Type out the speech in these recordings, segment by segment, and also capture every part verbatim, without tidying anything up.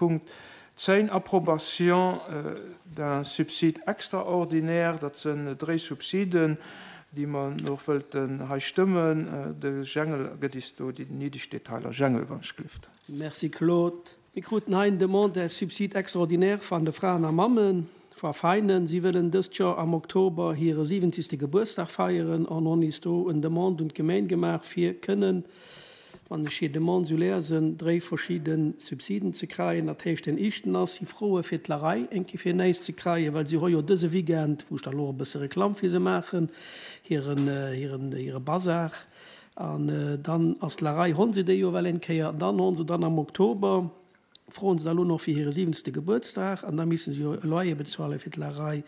Punkt zéng, Approbation d'un subside extraordinaire. Dat sinn dréi Subsiden, déi mer nach wëllten hei stëmmen. De Jengel gëtt is do déi néideg Detailer. Jengel, wann ech gelift. Merci Claude. Mir kruten hei eng Demande subside extraordinaire van de Fraen a Mammen va Veinen. Si wëllen dëst Joer am Oktober hire siwwenzegste Gebuertsdag feieren an hunn is do en Demande un d'Gemeng gemaach fir kënnen, wann ech hir Demande sou lesen, dréi verschidde Subsiden ze kreien. Dat heescht, den éischten ass, si froe fir d'Larei eng Kéier fir néist ze kreien, well si hu jo dëse Weekend, wou ech da lo e bësse Reklamm fir se maachen, hiren, hiren, hire Bazar. An dann ass d'Larei, honn se déi jo well eng Kéier. An dann honn se dann am Oktober, froen se da lo nach fir hire siwwenzte Gebuertsdag, an da missen se jo e Loyer bezuale fir d'Larei,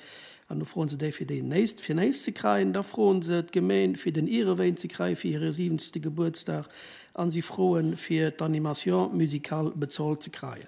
an do froen se déi fir déi néist, fir néist ze kreien. Da froen se d'Gemeen fir den Ierewéin ze kreie fir hire siwwenzte Gebuertsdag, an si froen fir d'Animation musicale bezolt ze kreien.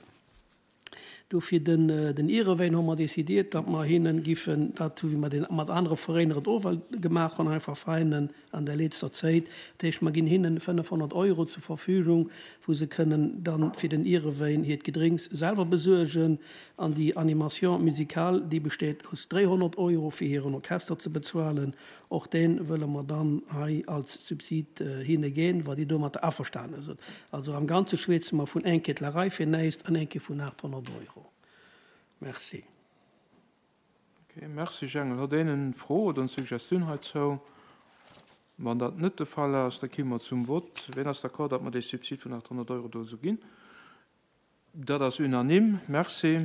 Dofir den, den Ierewéin hu mer décidiert, datt mer hinnen giffen dat, wéi mer den mat anere Veräiner et och well gemaach hunn, einfach Veräinen an der letzter Zäit, dat heescht mer ginn hinnen fënnefhonnert Euro zur Verfügung, wou se kënnen dann fir den Ierewéin hiert Gedrénks selwer besuergen. An déi Animation musicale, déi besteet aus dréihonnert Euro fir hiren Orchester ze bezuelen. Och dee wëlle mer dann hei als Subsid hinne ginn, wa déi domatter averstane sinn. Also am Ganze schwätze mer vun eng Kettlerei fir näischt an eng Kéier vun aathonnert Euro. Merci. Okay, merci Jengel. Huet een eng Fro oder eng Suggestioun heizou? Wann dat net de Fall ass, da komme mer zum Vott. Wien ass d'accord, datt mer dee Subsid vun aathonnert Euro do esou ginn? Dat ass unanime. Merci.